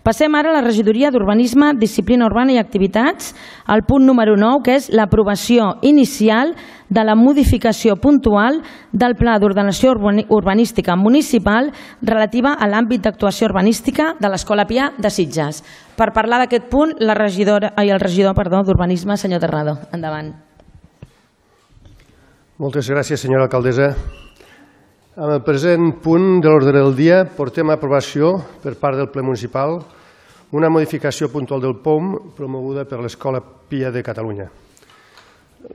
Passem ara a la regidoria d'Urbanisme, Disciplina Urbana i Activitats, al punt número 9, que és l'aprovació inicial de la modificació puntual del Pla d'Ordenació Urbanística Municipal relativa a l'àmbit d'actuació urbanística de l'Escola Pia de Sitges. Per parlar d'aquest punt, el regidor d'Urbanisme, senyor Terrado. Endavant. Moltes gràcies, senyora alcaldessa. Amb el present punt de l'ordre del dia portem a aprovació per part del ple municipal una modificació puntual del POM promoguda per l'Escola Pia de Catalunya.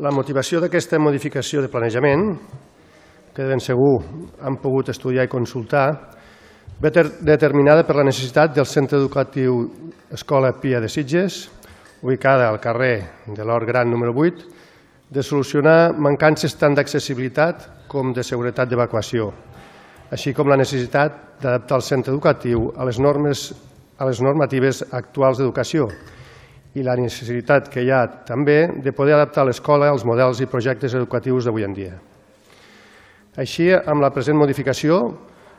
La motivació d'aquesta modificació de planejament, que de ben segur han pogut estudiar i consultar, ve determinada per la necessitat del centre educatiu Escola Pia de Sitges, ubicada al carrer de l'Hort Gran número 8, de solucionar mancances tant d'accessibilitat com de seguretat d'evacuació, així com la necessitat d'adaptar el centre educatiu a les normatives actuals d'educació i la necessitat que hi ha també de poder adaptar l'escola als models i projectes educatius d'avui en dia. Així, amb la present modificació,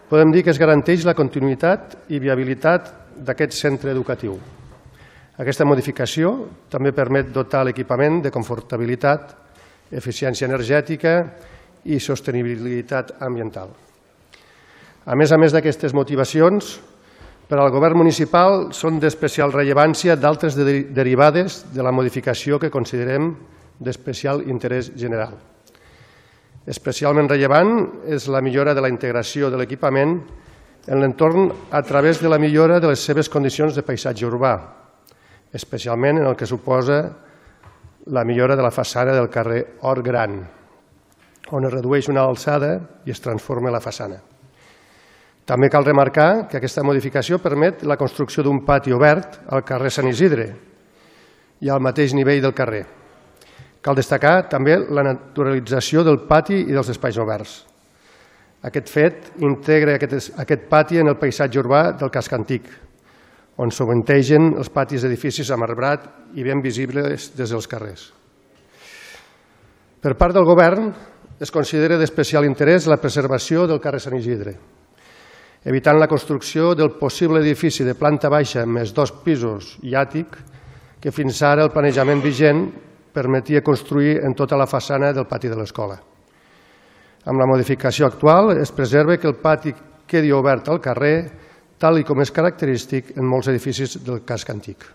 podem dir que es garanteix la continuïtat i viabilitat d'aquest centre educatiu. Aquesta modificació també permet dotar l'equipament de confortabilitat, eficiència energètica i sostenibilitat ambiental. A més d'aquestes motivacions, per al govern municipal són d'especial rellevància d'altres derivades de la modificació que considerem d'especial interès general. Especialment rellevant és la millora de la integració de l'equipament en l'entorn a través de la millora de les seves condicions de paisatge urbà, especialment en el que suposa la millora de la façana del carrer Hort Gran, on es redueix una alçada i es transforma la façana. També cal remarcar que aquesta modificació permet la construcció d'un pati obert al carrer Sant Isidre i al mateix nivell del carrer. Cal destacar també la naturalització del pati i dels espais oberts. Aquest fet integra aquest pati en el paisatge urbà del casc antic, on sovintegen els patis d'edificis amb arbrat i ben visibles des dels carrers. Per part del govern, es considera d'especial interès la preservació del carrer Sant Isidre, evitant la construcció del possible edifici de planta baixa més 2 pisos i àtic que fins ara el planejament vigent permetia construir en tota la façana del pati de l'escola. Amb la modificació actual es preserva que el pati quedi obert al carrer, tal com és característic en molts edificis del casc antic.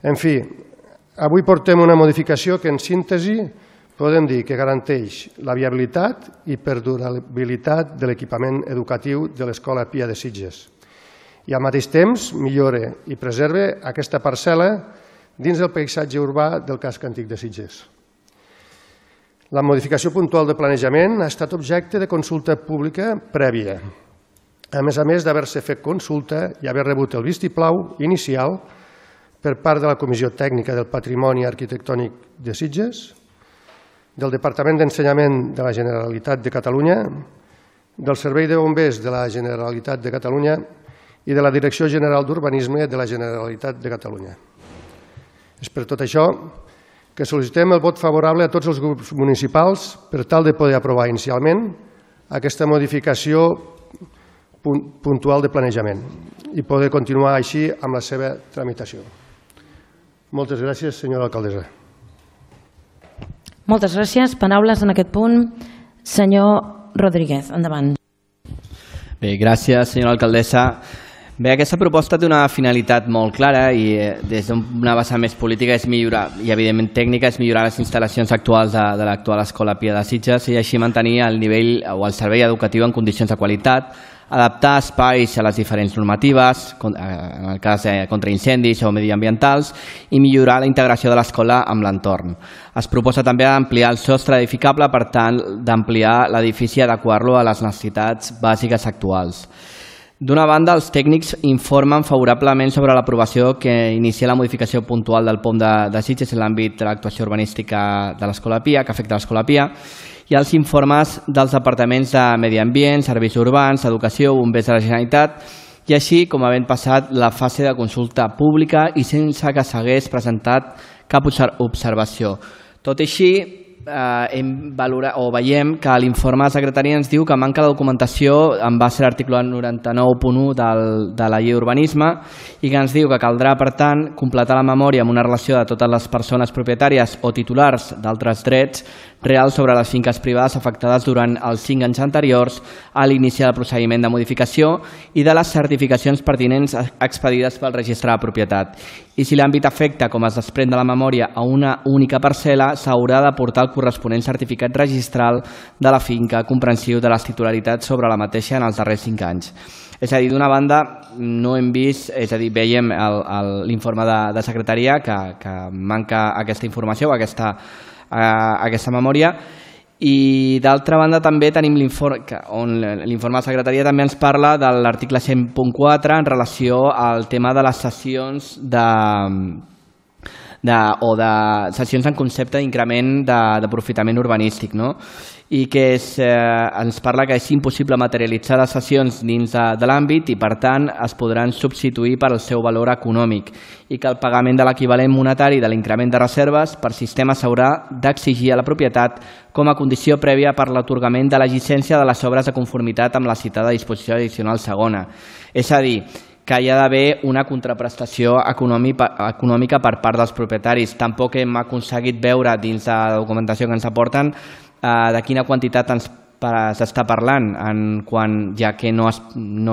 En fi, avui portem una modificació que en síntesi podem dir que garanteix la viabilitat i perdurabilitat de l'equipament educatiu de l'Escola Pia de Sitges i al mateix temps millora i preserva aquesta parcel·la dins del paisatge urbà del casc antic de Sitges. La modificació puntual de planejament ha estat objecte de consulta pública prèvia, a més d'haver-se fet consulta i haver rebut el vistiplau inicial per part de la Comissió Tècnica del Patrimoni Arquitectònic de Sitges, del Departament d'Ensenyament de la Generalitat de Catalunya, del Servei de Bombers de la Generalitat de Catalunya i de la Direcció General d'Urbanisme de la Generalitat de Catalunya. És per tot això que sol·licitem el vot favorable a tots els grups municipals per tal de poder aprovar inicialment aquesta modificació puntual de planejament i poder continuar així amb la seva tramitació. Moltes gràcies, senyora alcaldessa. Moltes gràcies. Paraules en aquest punt. Senyor Rodríguez, endavant. Bé, gràcies, senyora alcaldessa. Bé, aquesta proposta té una finalitat molt clara i des d'una vessant més política és millorar, i evidentment tècnica, és millorar les instal·lacions actuals de l'actual Escola Pia de Sitges i així mantenir el nivell o el servei educatiu en condicions de qualitat, adaptar espais a les diferents normatives, en el cas contra incendis o mediambientals, i millorar la integració de l'escola amb l'entorn. Es proposa també ampliar el sostre edificable, per tant, d'ampliar l'edifici i adequar-lo a les necessitats bàsiques actuals. D'una banda, els tècnics informen favorablement sobre l'aprovació que inicia la modificació puntual del POM de Sitges en l'àmbit de l'actuació urbanística de l'Escola Pia, que afecta l'Escola Pia, i els informes dels departaments de Medi Ambient, Serveis Urbans, Educació, Bombers de la Generalitat, i així com havent passat la fase de consulta pública i sense que s'hagués presentat cap observació. Tot i així, veiem que l'informe de secretaria ens diu que manca la documentació en base a l'article 99.1 de la llei d'urbanisme i que ens diu que caldrà, per tant, completar la memòria amb una relació de totes les persones propietàries o titulars d'altres drets reals sobre les finques privades afectades durant els 5 anys anteriors a l'inici del procediment de modificació i de les certificacions pertinents expedides pel registre de propietat. I si l'àmbit afecta, com es desprèn de la memòria, a una única parcel·la, s'haurà d'aportar el corresponent certificat registral de la finca comprensiu de les titularitats sobre la mateixa en els darrers 5 anys. És a dir, d'una banda, no hem vist, és a dir, veiem l'informe de secretaria que manca aquesta informació o aquesta memòria, i d'altra banda també tenim on l'informe de secretaria també ens parla de l'article 100.4 en relació al tema de les sessions sessions en concepte d'increment d'aprofitament urbanístic, no? I que ens parla que és impossible materialitzar les sessions dins de l'àmbit i, per tant, es podran substituir per el seu valor econòmic i que el pagament de l'equivalent monetari de l'increment de reserves per sistema s'haurà d'exigir a la propietat com a condició prèvia per l'atorgament de la llicència de les obres de conformitat amb la citada disposició addicional segona. És a dir, que hi ha d'haver una contraprestació econòmica per part dels propietaris. Tampoc hem aconseguit veure dins de la documentació que ens aporten de quina quantitat s'està parlant, ja que no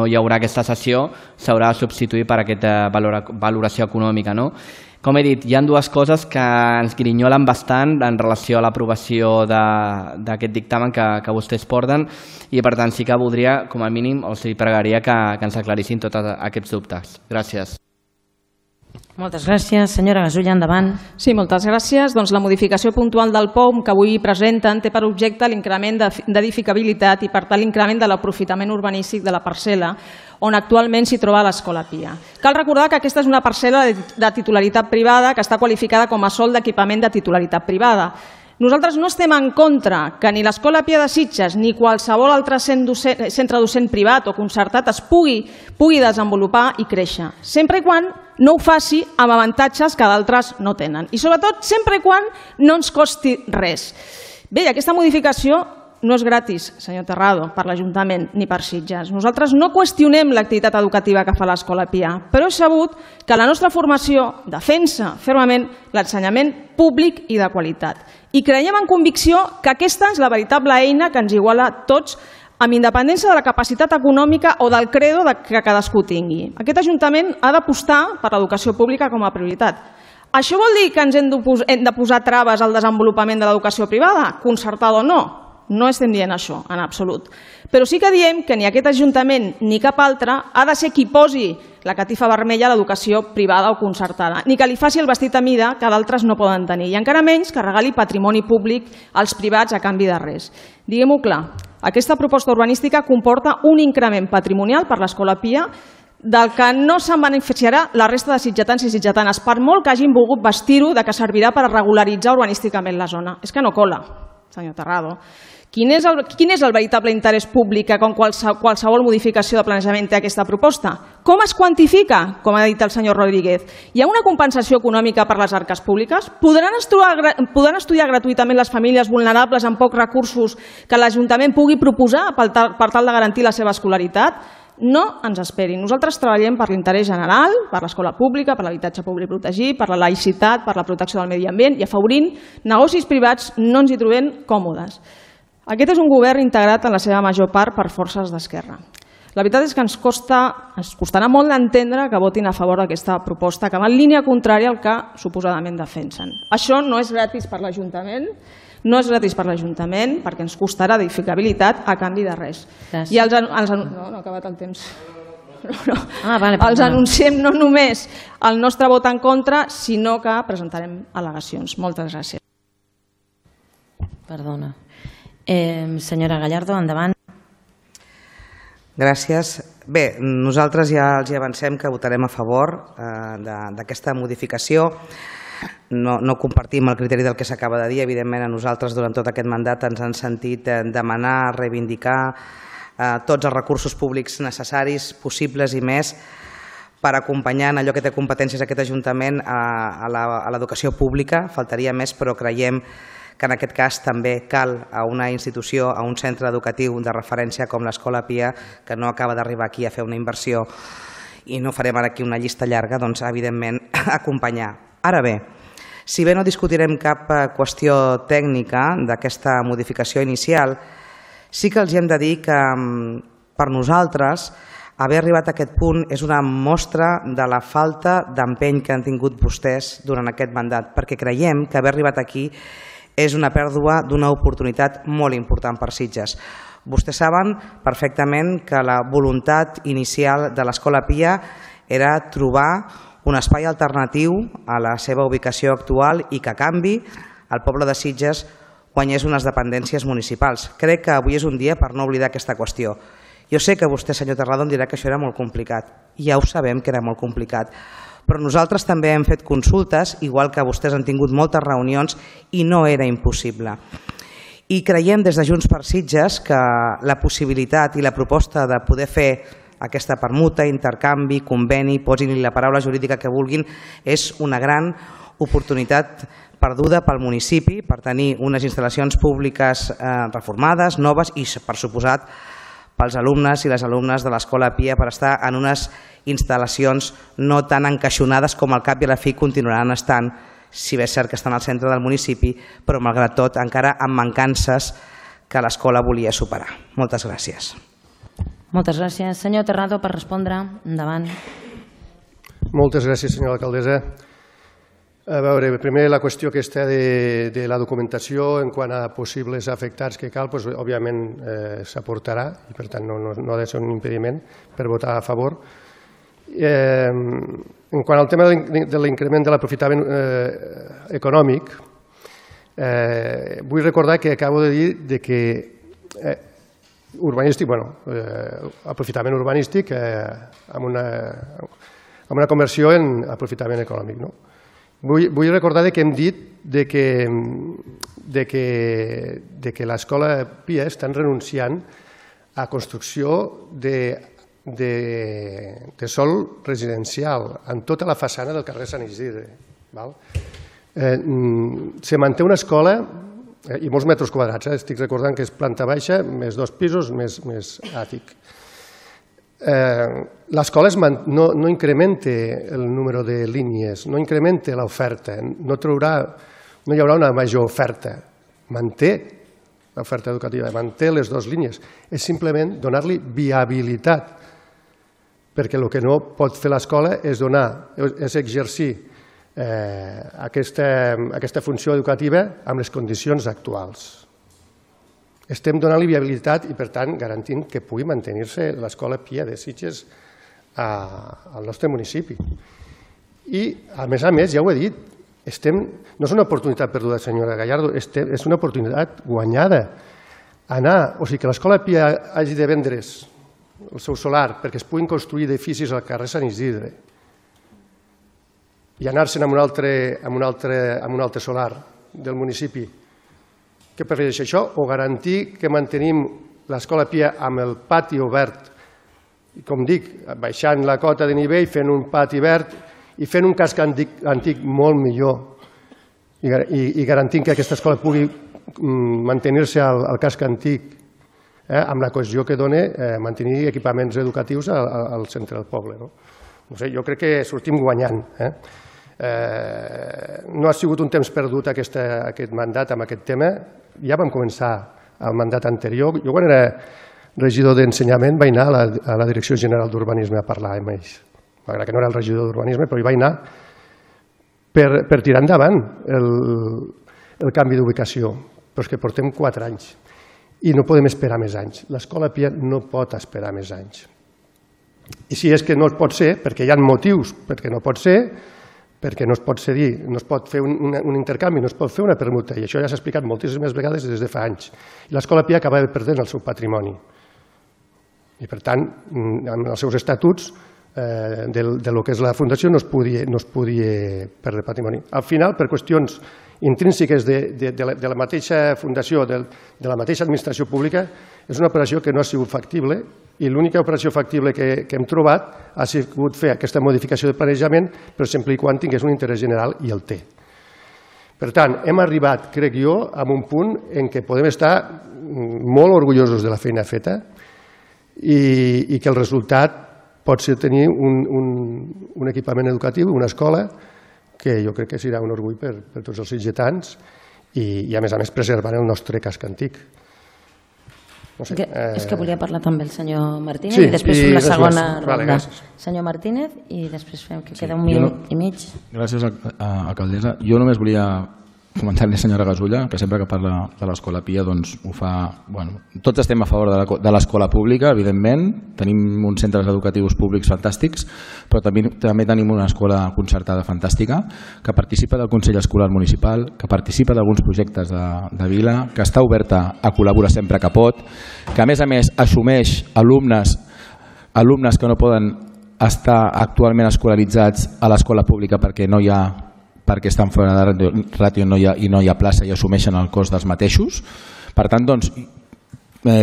hi haurà aquesta cessió, s'haurà de substituir per aquesta valoració econòmica. Com he dit, hi ha dues coses que ens grinyolen bastant en relació a l'aprovació d'aquest dictamen que vostès porten i, per tant, sí que voldria, com a mínim, els pregaria que ens aclarissin tots aquests dubtes. Gràcies. Moltes gràcies. Senyora Gasulla, endavant. Sí, moltes gràcies. Doncs la modificació puntual del POM que avui presenten té per objecte l'increment d'edificabilitat i, per tant, l'increment de l'aprofitament urbanístic de la parcel·la on actualment s'hi troba l'Escola Pia. Cal recordar que aquesta és una parcel·la de titularitat privada que està qualificada com a sòl d'equipament de titularitat privada. Nosaltres no estem en contra que ni l'Escola Pia de Sitges ni qualsevol altre centre docent privat o concertat es pugui desenvolupar i créixer, sempre i quan no ho faci amb avantatges que d'altres no tenen. I sobretot, sempre i quan no ens costi res. Bé, aquesta modificació no és gratis, senyor Terrado, per l'Ajuntament ni per Sitges. Nosaltres no qüestionem l'activitat educativa que fa l'Escola Pia, però és sabut que la nostra formació defensa fermament l'ensenyament públic i de qualitat. I creiem en convicció que aquesta és la veritable eina que ens iguala a tots amb independència de la capacitat econòmica o del credo que cadascú tingui. Aquest Ajuntament ha d'apostar per l'educació pública com a prioritat. Això vol dir que ens hem de posar traves al desenvolupament de l'educació privada, concertada o no? No estem dient això, en absolut. Però sí que diem que ni aquest Ajuntament ni cap altre ha de ser qui posi la catifa vermella a l'educació privada o concertada, ni que li faci el vestit a mida que d'altres no poden tenir, i encara menys que regali patrimoni públic als privats a canvi de res. Diguem-ho clar, aquesta proposta urbanística comporta un increment patrimonial per l'Escola Pia del que no se'n beneficiarà la resta de sitgetans i sitgetanes, per molt que hagin volgut vestir-ho de que servirà per regularitzar urbanísticament la zona. És que no cola, senyor Terrado. Quin és el veritable interès públic que qualsevol modificació de planejament té aquesta proposta? Com es quantifica, com ha dit el senyor Rodríguez? Hi ha una compensació econòmica per les arques públiques? Podran estudiar gratuïtament les famílies vulnerables amb pocs recursos que l'Ajuntament pugui proposar per tal de garantir la seva escolaritat? No ens esperin. Nosaltres treballem per l'interès general, per l'escola pública, per l'habitatge públic protegit, per la laïcitat, per la protecció del medi ambient i afavorint negocis privats no ens hi trobem còmodes. Aquest és un govern integrat en la seva major part per forces d'esquerra. La veritat és que ens costarà molt d'entendre que votin a favor d'aquesta proposta que va en línia contrària al que suposadament defensen. Això no és gratis per l'Ajuntament, perquè ens costarà edificabilitat a canvi de res. I no ha acabat el temps. Els anunciem no només el nostre vot en contra, sinó que presentarem al·legacions. Moltes gràcies. Perdona. Senyora Gallardo, endavant. Gràcies. Bé, nosaltres ja els avancem que votarem a favor d'aquesta modificació. No compartim el criteri del que s'acaba de dir. Evidentment, a nosaltres durant tot aquest mandat ens han sentit demanar, reivindicar tots els recursos públics necessaris, possibles i més, per acompanyar en allò que té competències aquest Ajuntament a l'educació pública. Faltaria més, però creiem que en aquest cas també cal a una institució, a un centre educatiu de referència com l'Escola Pia, que no acaba d'arribar aquí a fer una inversió i no farem ara aquí una llista llarga, doncs evidentment acompanyar. Ara bé, si bé no discutirem cap qüestió tècnica d'aquesta modificació inicial, sí que els hem de dir que per nosaltres haver arribat a aquest punt és una mostra de la falta d'empeny que han tingut vostès durant aquest mandat, perquè creiem que haver arribat aquí és una pèrdua d'una oportunitat molt important per Sitges. Vostès saben perfectament que la voluntat inicial de l'Escola Pia era trobar un espai alternatiu a la seva ubicació actual i que a canvi el poble de Sitges guanyés unes dependències municipals. Crec que avui és un dia per no oblidar aquesta qüestió. Jo sé que vostè, senyor Terrado, em dirà que això era molt complicat. Ja ho sabem que era molt complicat. Però nosaltres també hem fet consultes, igual que vostès han tingut moltes reunions, i no era impossible. I creiem des de Junts per Sitges que la possibilitat i la proposta de poder fer aquesta permuta, intercanvi, conveni, posin-li la paraula jurídica que vulguin, és una gran oportunitat perduda pel municipi per tenir unes instal·lacions públiques reformades, noves i, per suposat, pels alumnes i les alumnes de l'Escola Pia per estar en unes instal·lacions no tan encaixonades com al cap i a la fi continuaran estant, si bé és cert que estan al centre del municipi, però malgrat tot encara amb mancances que l'escola volia superar. Moltes gràcies. Moltes gràcies. Senyor Terrado, per respondre. Endavant. Moltes gràcies, senyora alcaldessa. A veure, primer la qüestió aquesta de la documentació en quant a possibles afectats que cal, doncs, òbviament s'aportarà i per tant no ha de ser un impediment per votar a favor. En quant al tema de l'increment de l'aprofitament econòmic, vull recordar que acabo de dir que urbanístic, aprofitament urbanístic amb una conversió en aprofitament econòmic, no? Vull recordar que hem dit que l'Escola Pia estan renunciant a construcció de sòl residencial en tota la façana del carrer Sant Isidre. Se manté una escola i molts metres quadrats, estic recordant que és planta baixa, més 2 pisos, més àtic. L'escola no incrementa el número de línies, no incrementa l'oferta, no hi haurà una major oferta, manté l'oferta educativa, manté les 2 línies, és simplement donar-li viabilitat, perquè el que no pot fer l'escola és exercir aquesta funció educativa amb les condicions actuals. Estem donant-li viabilitat i, per tant, garantint que pugui mantenir-se l'Escola Pia de Sitges al nostre municipi. I, a més, ja ho he dit, no és una oportunitat perduda, senyora Gallardo, és una oportunitat guanyada. O sigui, que l'Escola Pia hagi de vendre's el seu solar perquè es puguin construir edificis al carrer Sant Isidre i anar-se'n a un altre solar del municipi. Què prefereix això? O garantir que mantenim l'Escola Pia amb el pati obert, i com dic, baixant la cota de nivell, fent un pati verd i fent un casc antic molt millor i garantint que aquesta escola pugui mantenir-se al casc antic amb la cohesió que dona mantenir equipaments educatius al centre del poble. No sé, jo crec que sortim guanyant. No ha sigut un temps perdut aquest mandat amb aquest tema. Ja vam començar el mandat anterior. Jo quan era regidor d'ensenyament vaig anar a la Direcció General d'Urbanisme a parlar amb ells. Malgrat que no era el regidor d'Urbanisme, però hi vaig anar per tirar endavant el canvi d'ubicació. Però és que portem 4 anys i no podem esperar més anys. L'Escola Pia no pot esperar més anys. I si és que no pot ser, perquè hi ha motius perquè no pot ser, perquè no es pot cedir, no es pot fer un intercanvi, no es pot fer una permuta, i això ja s'ha explicat moltíssimes vegades des de fa anys. I l'Escola Pia acaba perdent el seu patrimoni. I, per tant, amb els seus estatuts, del que és la Fundació no es podia perdre patrimoni. Al final, per qüestions intrínseques de la mateixa Fundació, de la mateixa administració pública, és una operació que no ha sigut factible i l'única operació factible que hem trobat ha sigut fer aquesta modificació de planejament, però sempre i quan tingués un interès general i el té. Per tant, hem arribat, crec jo, a un punt en què podem estar molt orgullosos de la feina feta i que el resultat pot ser tenir un equipament educatiu, una escola, que jo crec que serà un orgull per tots els sitgetans i a més preservant el nostre casc antic. És que volia parlar també el senyor Martínez i després fem la segona ronda. Senyor Martínez i després fem que queda un minut i mig. Gràcies, alcaldessa. Jo només volia comentar-li a la senyora Gasulla que sempre que parla de l'Escola Pia doncs ho fa... Tots estem a favor de l'escola pública, evidentment. Tenim uns centres educatius públics fantàstics, però també tenim una escola concertada fantàstica que participa del Consell Escolar Municipal, que participa d'alguns projectes de vila, que està oberta a col·laborar sempre que pot, que a més assumeix alumnes que no poden estar actualment escolaritzats a l'escola pública perquè estan fora de ràtio i no hi ha plaça i assumeixen el cost dels mateixos. Per tant, doncs,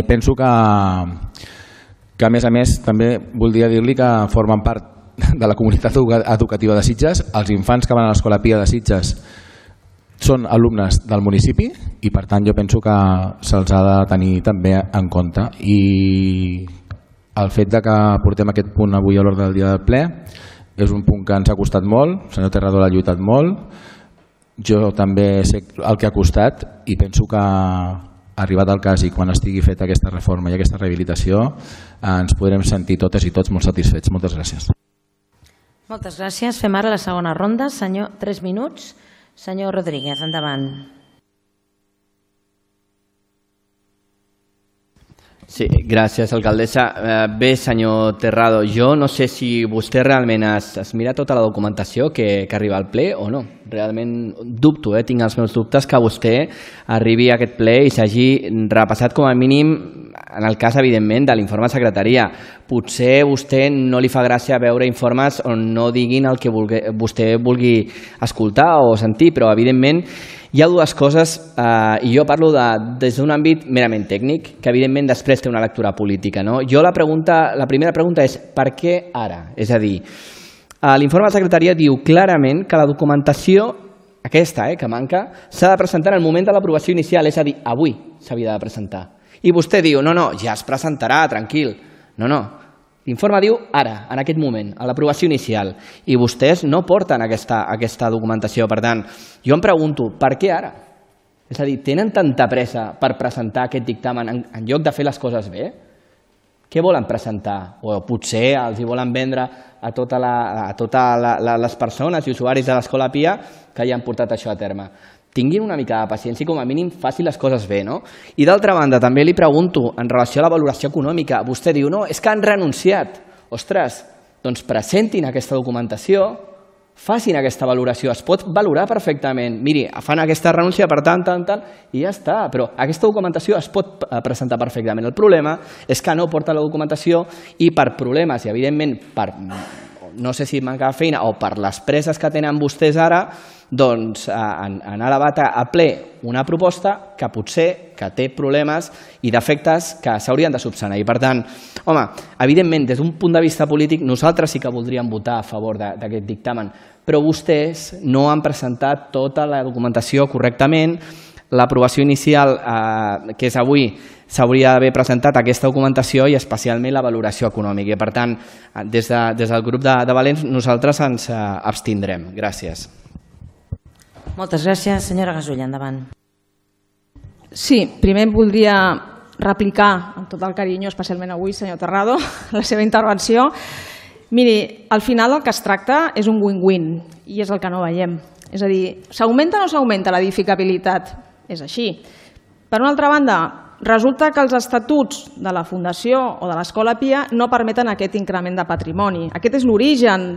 penso que a més també voldria dir-li que formen part de la comunitat educativa de Sitges. Els infants que van a l'Escola Pia de Sitges són alumnes del municipi i per tant jo penso que se'ls ha de tenir també en compte. I el fet que portem aquest punt avui a l'ordre del dia del ple és un punt que ens ha costat molt, el senyor Terrado l'ha lluitat molt, jo també sé el que ha costat i penso que arribat el cas i quan estigui feta aquesta reforma i aquesta rehabilitació ens podrem sentir totes i tots molt satisfets. Moltes gràcies. Moltes gràcies. Fem ara la segona ronda. 3 minuts. Senyor Rodríguez, endavant. Sí, gràcies, alcaldessa. Bé, senyor Terrado, jo no sé si vostè realment es mira tota la documentació que arriba al ple o no. Realment dubto, tinc els meus dubtes que vostè arribi a aquest ple i s'hagi repassat com a mínim, en el cas, evidentment, de l'informe de secretaria. Potser a vostè no li fa gràcia veure informes on no diguin el que vostè vulgui escoltar o sentir, però, evidentment, hi ha dues coses, i jo parlo des d'un àmbit merament tècnic, que evidentment després té una lectura política. Jo la primera pregunta és per què ara? És a dir, l'informe de la secretaria diu clarament que la documentació, aquesta que manca, s'ha de presentar en el moment de l'aprovació inicial, és a dir, avui s'havia de presentar. I vostè diu, no, ja es presentarà, tranquil. No. L'informe diu ara, en aquest moment, a l'aprovació inicial, i vostès no porten aquesta documentació. Per tant, jo em pregunto, per què ara? És a dir, tenen tanta pressa per presentar aquest dictamen en lloc de fer les coses bé? Què volen presentar? O potser els hi volen vendre a totes les persones i usuaris de l'Escola Pia que ja han portat això a terme. Tinguin una mica de paciència i com a mínim facin les coses bé, no? I d'altra banda, també li pregunto, en relació a la valoració econòmica, vostè diu, no, és que han renunciat. Ostres, doncs presentin aquesta documentació, facin aquesta valoració, es pot valorar perfectament. Miri, fan aquesta renúncia per tant, i ja està, però aquesta documentació es pot presentar perfectament. El problema és que no porta la documentació i per problemes, i evidentment per, no sé si manca de feina o per les presses que tenen vostès ara, doncs han elevat a ple una proposta que potser que té problemes i defectes que s'haurien de subsanar. I per tant, home, evidentment, des d'un punt de vista polític, nosaltres sí que voldríem votar a favor d'aquest dictamen, però vostès no han presentat tota la documentació correctament. L'aprovació inicial, que és avui, s'hauria d'haver presentat aquesta documentació i especialment la valoració econòmica. I per tant, des del grup de Valents, nosaltres ens abstindrem. Gràcies. Moltes gràcies. Senyora Gasulla, endavant. Sí, primer voldria replicar amb tot el carinyo, especialment avui, senyor Terrado, la seva intervenció. Miri, al final el que es tracta és un win-win i és el que no veiem. És a dir, s'augmenta o no s'augmenta l'edificabilitat? És així. Per una altra banda, resulta que els estatuts de la Fundació o de l'Escola Pia no permeten aquest increment de patrimoni. Aquest és l'origen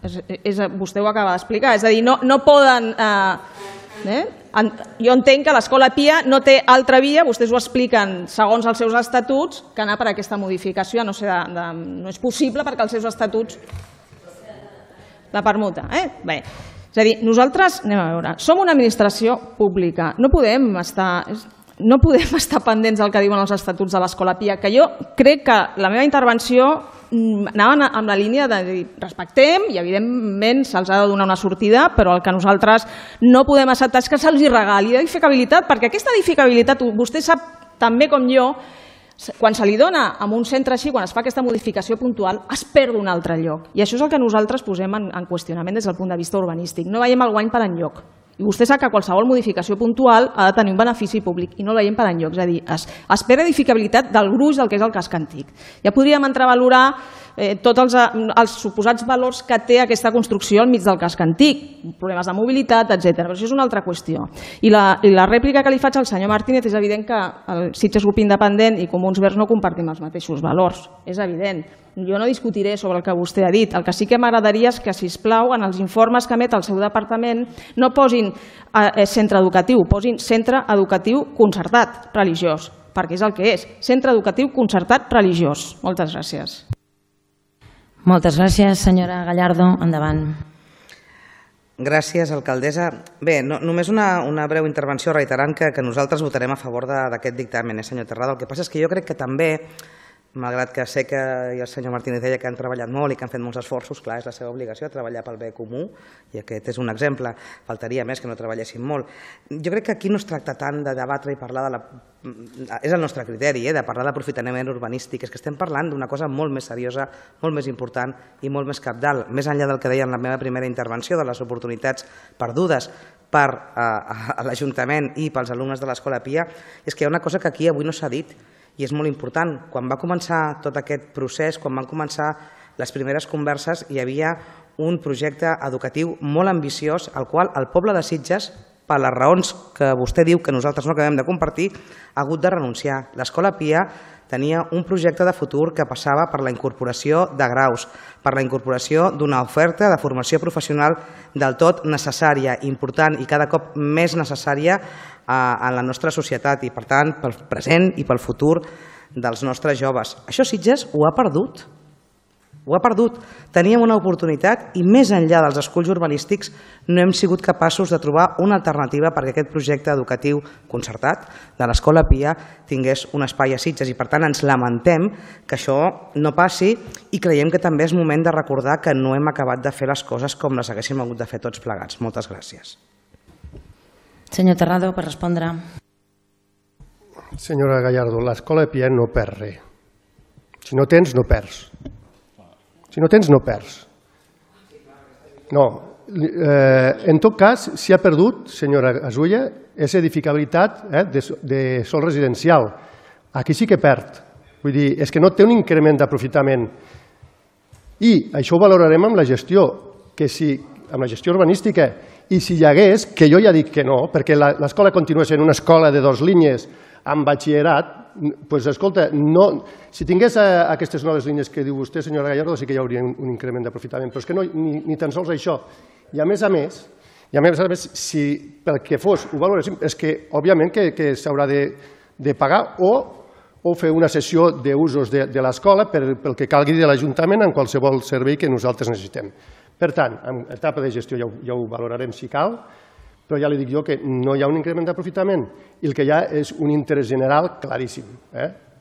vostè ho acaba d'explicar, és a dir, no poden... Jo entenc que l'Escola Pia no té altra via, vostès ho expliquen segons els seus estatuts, que anar per aquesta modificació, no és possible perquè els seus estatuts... La permuta, Bé, és a dir, nosaltres, anem a veure, som una administració pública, no podem estar pendents del que diuen els estatuts de l'Escola Pia, que jo crec que la meva intervenció anaven amb la línia de dir respectem i evidentment se'ls ha de donar una sortida, però el que nosaltres no podem acceptar és que se'ls regali edificabilitat, perquè aquesta edificabilitat, vostè sap tan bé com jo, quan se li dona a un centre així, quan es fa aquesta modificació puntual, es perd un altre lloc. I això és el que nosaltres posem en qüestionament des del punt de vista urbanístic. No veiem el guany per enlloc. I vostè sap que qualsevol modificació puntual ha de tenir un benefici públic i no el veiem per enlloc. És a dir, es perd edificabilitat del gruix del que és el casc antic. Ja podríem entrar a valorar tots els suposats valors que té aquesta construcció al mig del casc antic, problemes de mobilitat, etc. Però això és una altra qüestió. I la rèplica que li faig al senyor Martínez és evident que el Sitges Grup Independent i Comuns Verds no compartim els mateixos valors. És evident. Jo no discutiré sobre el que vostè ha dit. El que sí que m'agradaria és que, sisplau, en els informes que emet el seu departament no posin centre educatiu, posin centre educatiu concertat religiós, perquè és el que és, centre educatiu concertat religiós. Moltes gràcies. Moltes gràcies, senyora Gallardo. Endavant. Gràcies, alcaldessa. Bé, només una breu intervenció reiterant que nosaltres votarem a favor d'aquest dictamen, senyor Terrado. El que passa és que jo crec que també, malgrat que sé que el senyor Martínez deia que han treballat molt i que han fet molts esforços, clar, és la seva obligació treballar pel bé comú, i aquest és un exemple, faltaria més que no treballessin molt. Jo crec que aquí no es tracta tant de debatre i parlar és el nostre criteri, de parlar d'aprofitament urbanístic, és que estem parlant d'una cosa molt més seriosa, molt més important i molt més cabdal, més enllà del que deia en la meva primera intervenció, de les oportunitats perdudes per l'Ajuntament i pels alumnes de l'Escola Pia, és que hi ha una cosa que aquí avui no s'ha dit, i és molt important. Quan va començar tot aquest procés, quan van començar les primeres converses, hi havia un projecte educatiu molt ambiciós al qual el poble de Sitges, per les raons que vostè diu que nosaltres no acabem de compartir, ha hagut de renunciar. L'Escola Pia tenia un projecte de futur que passava per la incorporació de graus, per la incorporació d'una oferta de formació professional del tot necessària, important i cada cop més necessària en la nostra societat i, per tant, pel present i pel futur dels nostres joves. Això Sitges ho ha perdut. Ho ha perdut. Teníem una oportunitat i més enllà dels esculls urbanístics no hem sigut capaços de trobar una alternativa perquè aquest projecte educatiu concertat de l'Escola Pia tingués un espai a Sitges i per tant ens lamentem que això no passi i creiem que també és moment de recordar que no hem acabat de fer les coses com les haguéssim hagut de fer tots plegats. Moltes gràcies. Senyor Terrado, per respondre. Senyora Gallardo, l'Escola Pia no perd res. Si no tens, no perds. Si no tens, no perds. No. En tot cas, si ha perdut, senyora Gasulla, és edificabilitat de sòl residencial. Aquí sí que perd. Vull dir, és que no té un increment d'aprofitament. I això ho valorarem amb la gestió, amb la gestió urbanística. I si hi hagués, que jo ja dic que no, perquè l'escola continua sent una escola de 2 línies amb batxillerat, doncs escolta, si tingués aquestes noves línies que diu vostè, senyora Gallardo, sí que hi hauria un increment d'aprofitament, però és que ni tan sols això. I a més a més, si pel que fos ho valoréssim, és que òbviament que s'haurà de pagar o fer una cessió d'usos de l'escola pel que calgui de l'Ajuntament en qualsevol servei que nosaltres necessitem. Per tant, en etapa de gestió ja ho valorarem si cal, però ja li dic jo que no hi ha un increment d'aprofitament i el que hi ha és un interès general claríssim,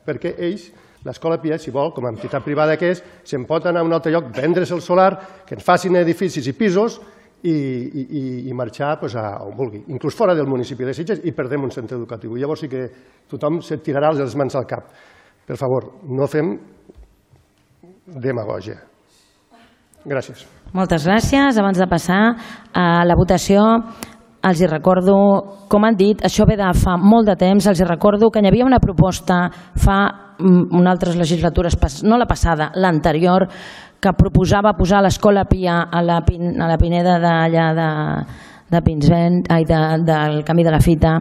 perquè ells, l'Escola Pia, si vol, com a entitat privada que és, se'n pot anar a un altre lloc, vendre's el solar, que ens facin edificis i pisos i marxar a on vulgui, inclús fora del municipi de Sitges, i perdem un centre educatiu. Llavors sí que tothom se tirarà les mans al cap. Per favor, no fem demagògia. Gràcies. Moltes gràcies. Abans de passar a la votació, els hi recordo, com han dit, això ve de fa molt de temps, els hi recordo que hi havia una proposta fa unes altres legislatures, no la passada, l'anterior, que proposava posar l'Escola Pia a la Pineda de Pinsbent, del Camí de la Fita.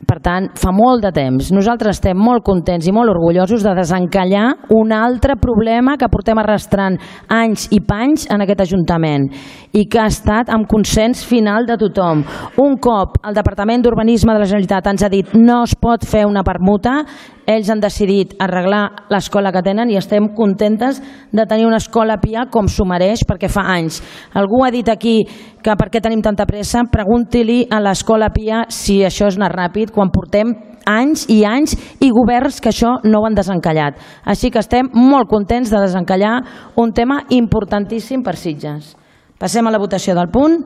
Per tant, fa molt de temps. Nosaltres estem molt contents i molt orgullosos de desencallar un altre problema que portem arrastrant anys i panys en aquest Ajuntament i que ha estat amb consens final de tothom. Un cop el Departament d'Urbanisme de la Generalitat ens ha dit no es pot fer una permuta, ells han decidit arreglar l'escola que tenen i estem contentes de tenir una Escola Pia com s'ho mereix perquè fa anys. Algú ha dit aquí que per què tenim tanta pressa, pregunti-li a l'Escola Pia si això és anar ràpid quan portem anys i anys i governs que això no ho han desencallat. Així que estem molt contents de desencallar un tema importantíssim per Sitges. Passem a la votació del punt.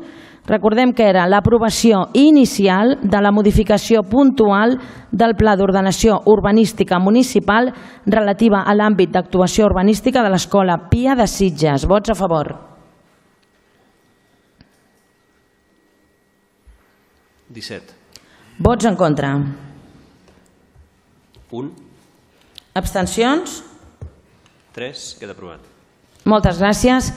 Recordem que era l'aprovació inicial de la modificació puntual del Pla d'Ordenació Urbanística Municipal relativa a l'àmbit d'actuació urbanística de l'Escola Pia de Sitges. Vots a favor. 17. Vots en contra. 1. Abstencions? 3. Queda aprovat. Moltes gràcies.